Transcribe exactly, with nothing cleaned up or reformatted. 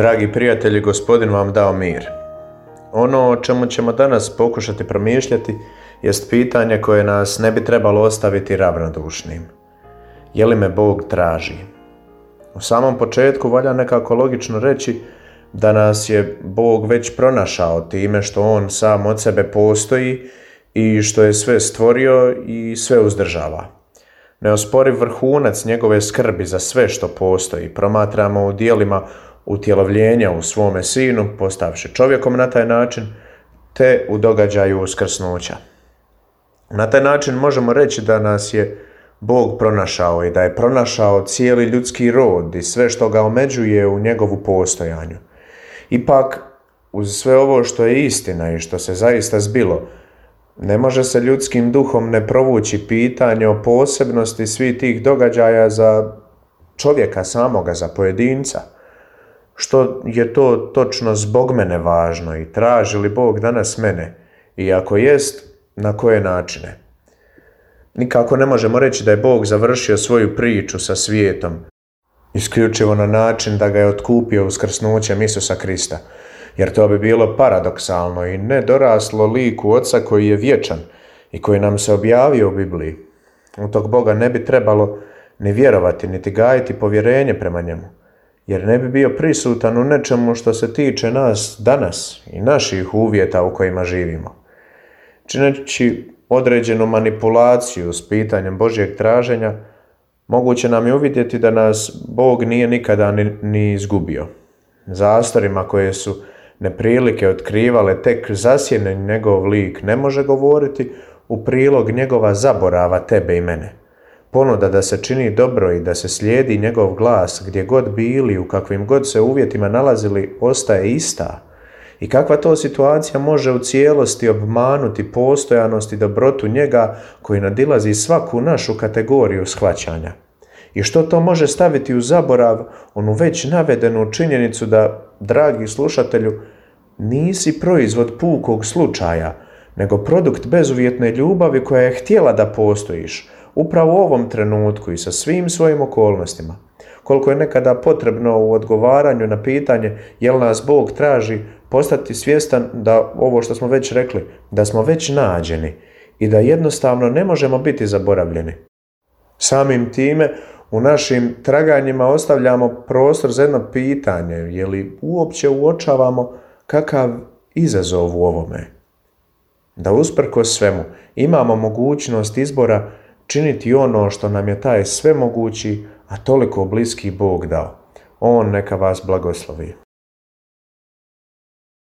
Dragi prijatelji, Gospodin vam dao mir. Ono o čemu ćemo danas pokušati promišljati jest pitanje koje nas ne bi trebalo ostaviti ravnodušnim. Je li me Bog traži? U samom početku valja nekako logično reći da nas je Bog već pronašao time što On sam od sebe postoji i što je sve stvorio i sve uzdržava. Neosporiv vrhunac njegove skrbi za sve što postoji promatramo u dijelima utjelovljenja u svome sinu, postavši čovjekom na taj način, te u događaju uskrsnuća. Na taj način možemo reći da nas je Bog pronašao i da je pronašao cijeli ljudski rod i sve što ga omeđuje u njegovu postojanju. Ipak, uz sve ovo što je istina i što se zaista zbilo, ne može se ljudskim duhom ne provući pitanje o posebnosti svih tih događaja za čovjeka samoga, za pojedinca. Što je to točno zbog mene važno i traži li Bog danas mene? I ako jest, na koje načine? Nikako ne možemo reći da je Bog završio svoju priču sa svijetom isključivo na način da ga je otkupio uskrsnućem Isusa Krista, jer to bi bilo paradoksalno i nedoraslo liku Oca koji je vječan i koji nam se objavio u Bibliji. U tog Boga ne bi trebalo ni vjerovati, niti gajiti povjerenje prema njemu, jer ne bi bio prisutan u nečemu što se tiče nas danas i naših uvjeta u kojima živimo. Čineći određenu manipulaciju s pitanjem Božjeg traženja, moguće nam je uvidjeti da nas Bog nije nikada ni, ni izgubio. Zastorima koje su neprilike otkrivale tek zasjene njegov lik ne može govoriti u prilog njegova zaborava tebe i mene. Ponuda da se čini dobro i da se slijedi njegov glas gdje god bili, u kakvim god se uvjetima nalazili, ostaje ista. I kakva to situacija može u cijelosti obmanuti postojanost i dobrotu njega koji nadilazi svaku našu kategoriju shvaćanja? I što to može staviti u zaborav onu već navedenu činjenicu da, dragi slušatelju, nisi proizvod pukog slučaja, nego produkt bezuvjetne ljubavi koja je htjela da postojiš, upravo u ovom trenutku i sa svim svojim okolnostima. Koliko je nekada potrebno u odgovaranju na pitanje jel nas Bog traži postati svjestan da ovo što smo već rekli, da smo već nađeni i da jednostavno ne možemo biti zaboravljeni. Samim time u našim traganjima ostavljamo prostor za jedno pitanje, je li uopće uočavamo kakav izazov u ovome? Da usprkos svemu imamo mogućnost izbora činiti ono što nam je taj svemogući, a toliko bliski Bog dao. On neka vas blagoslovi.